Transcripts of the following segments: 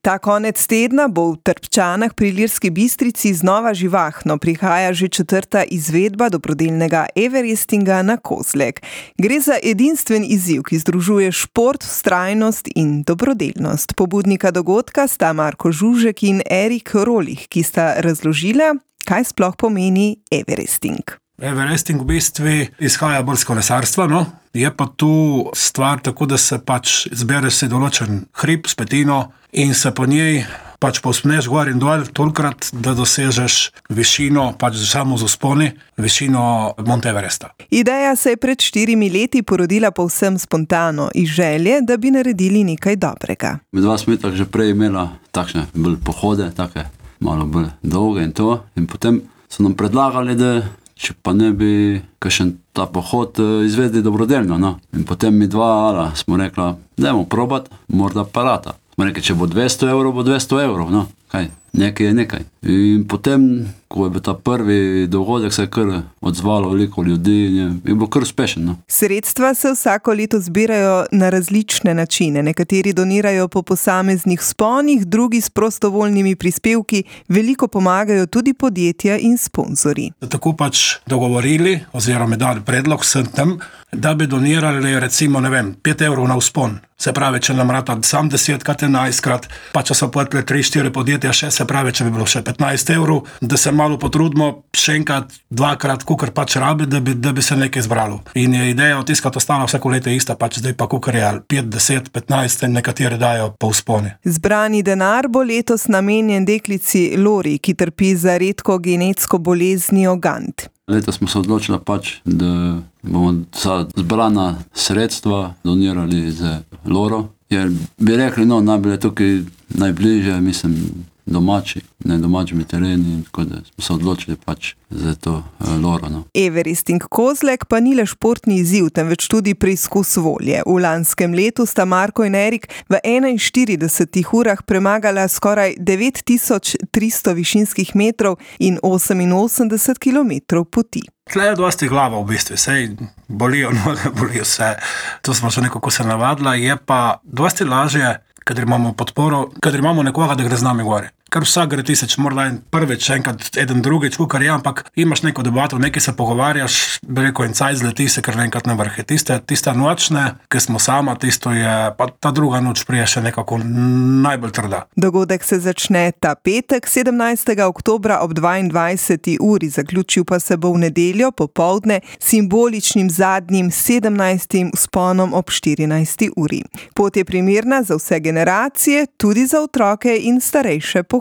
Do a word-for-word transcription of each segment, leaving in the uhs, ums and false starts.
Ta konec tedna bo v Trpčanah pri Ilirski Bistrici znova živahno. Prihaja že četrta izvedba dobrodelnega everestinga na Kozlek. Gre za edinstven izziv, ki združuje šport, vztrajnost in dobrodelnost. Pobudnika dogodka sta Marko Žužek in Erik Rolih, ki sta razložila, kaj sploh pomeni everesting. Everesting v bistvu izhaja bolj z kolesarstva, no? Je pa tu stvar tako, da se pač zbere se določen hrib, spetino in se po njej pač povzpneš gor in dol tolikrat, da dosežeš višino, pač samo z vzponi, višino Monte Everesta. Ideja se je pred štirimi leti porodila povsem spontano iz želje, da bi naredili nekaj dobrega. Dva smo tak že prej imela takšne bolj pohode, take malo bolj dolge in to. In potem so nam predlagali, da če pa ne bi kakšen ta pohod izvedli dobrodelno, no. In potem mi dva ala, smo rekla, dajmo probat, morda parata. Smo rekli, če bo dvesto evrov, bo dvesto evrov, no. Kaj, nekaj je nekaj. In potem, ko je bil ta prvi dogodek, se je kar odzvalo veliko ljudi in je, je bilo kar uspešen, no. Sredstva se vsako leto zbirajo na različne načine. Nekateri donirajo po posameznih vzponih, drugi s prostovoljnimi prispevki, veliko pomagajo tudi podjetja in sponzorji. Tako pač dogovorili, oziroma dali predlog vsem tem, da bi donirali recimo, ne vem, pet evrov na vzpon. Se pravi, če nam rata sam desetkrat, enajstkrat, pa če so pojetli tri, štiri podjetja še, se pravi, če bi bilo še petnajst evrov, da se malo potrudimo, še enkrat, dvakrat, kukar pač rabi, da bi, da bi se nekaj zbralo. In je ideja otiskati ostala vsako leto ista, pač zdaj pa kukar je pet, deset, petnajst, nekateri dajo po vzponi. Zbrani denar bo letos namenjen deklici Lori, ki trpi za redko genetsko boleznijo Gant. Letos smo se odločili pač, da bomo za zbrana sredstva donirali za Loro. Jer bi rekli, no, najbolj je tukaj najbližje, mislim, domači, ne domačimi tereni, tako da smo se odločili pač za to uh, Loro, no. Everesting Kozlek pa ni le športni izziv, temveč tudi preizkus volje. V lanskem letu sta Marko in Erik v enainštiridesetih urah premagala skoraj devet tisoč tristo višinskih metrov in oseminosemdeset kilometrov poti. Tle je dosti glava v bistvu, sej bolijo noge, bolijo vse. To smo že nekako se navadila, je pa dosti lažje, kadar imamo podporo, kadar imamo nekoga, da gre z nami gore. Kar vsak gre tiseč, morda en prvič, enkrat, eden drugič, kukar je, ampak imaš neko debato, nekaj se pogovarjaš, bi rekel, in caj zleti se, ker enkrat na vrhe. Tiste, tiste nočne, ki smo sama, tisto je, pa ta druga noč prije še nekako najbolj trda. Dogodek se začne ta petek, sedemnajstega oktobra ob dvaindvajseti uri, zaključil pa se bo v nedeljo popoldne simboličnim zadnjim sedemnajstim vzponom ob štirinajsti uri. Pot je primerna za vse generacije, tudi za otroke in starejše pohodnike.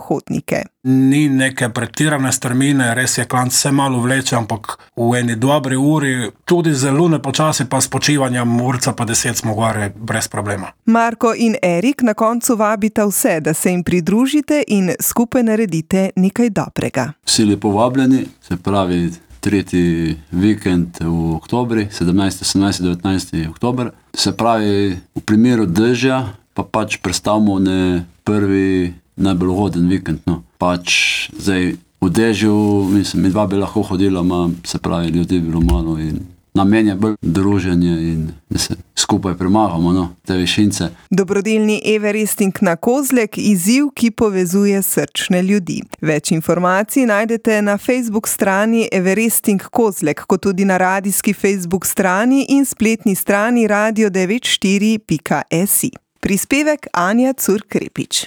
Ni neke pretirane strmine, res je klanc se malo vleče, ampak v eni dobri uri, tudi zelo nepočasi pa s počivanjem urca pa deset smo gore brez problema. Marko in Erik na koncu vabita vse, da se jim pridružite in skupaj naredite nekaj dobrega. Vsi lepo vabljeni, se pravi tretji vikend v oktobri, sedemnajsti, osemnajsti, devetnajsti oktober. Se pravi, v primeru dežja pa pač predstavimo ne prvi najbolj ugoden vikend, no. Pač zdaj v dežju, mislim, mi dva bi lahko hodila, ma, se pravi, ljudi je bilo malo in namen je bolj druženje in da se skupaj premagamo, no, te višince. Dobrodelni everesting na Kozlek, izziv, ki povezuje srčne ljudi. Več informacij najdete na Facebook strani Everesting Kozlek, kot tudi na radijski Facebook strani in spletni strani radio devet štiri pika si. Prispevek Anja Curk Krepič.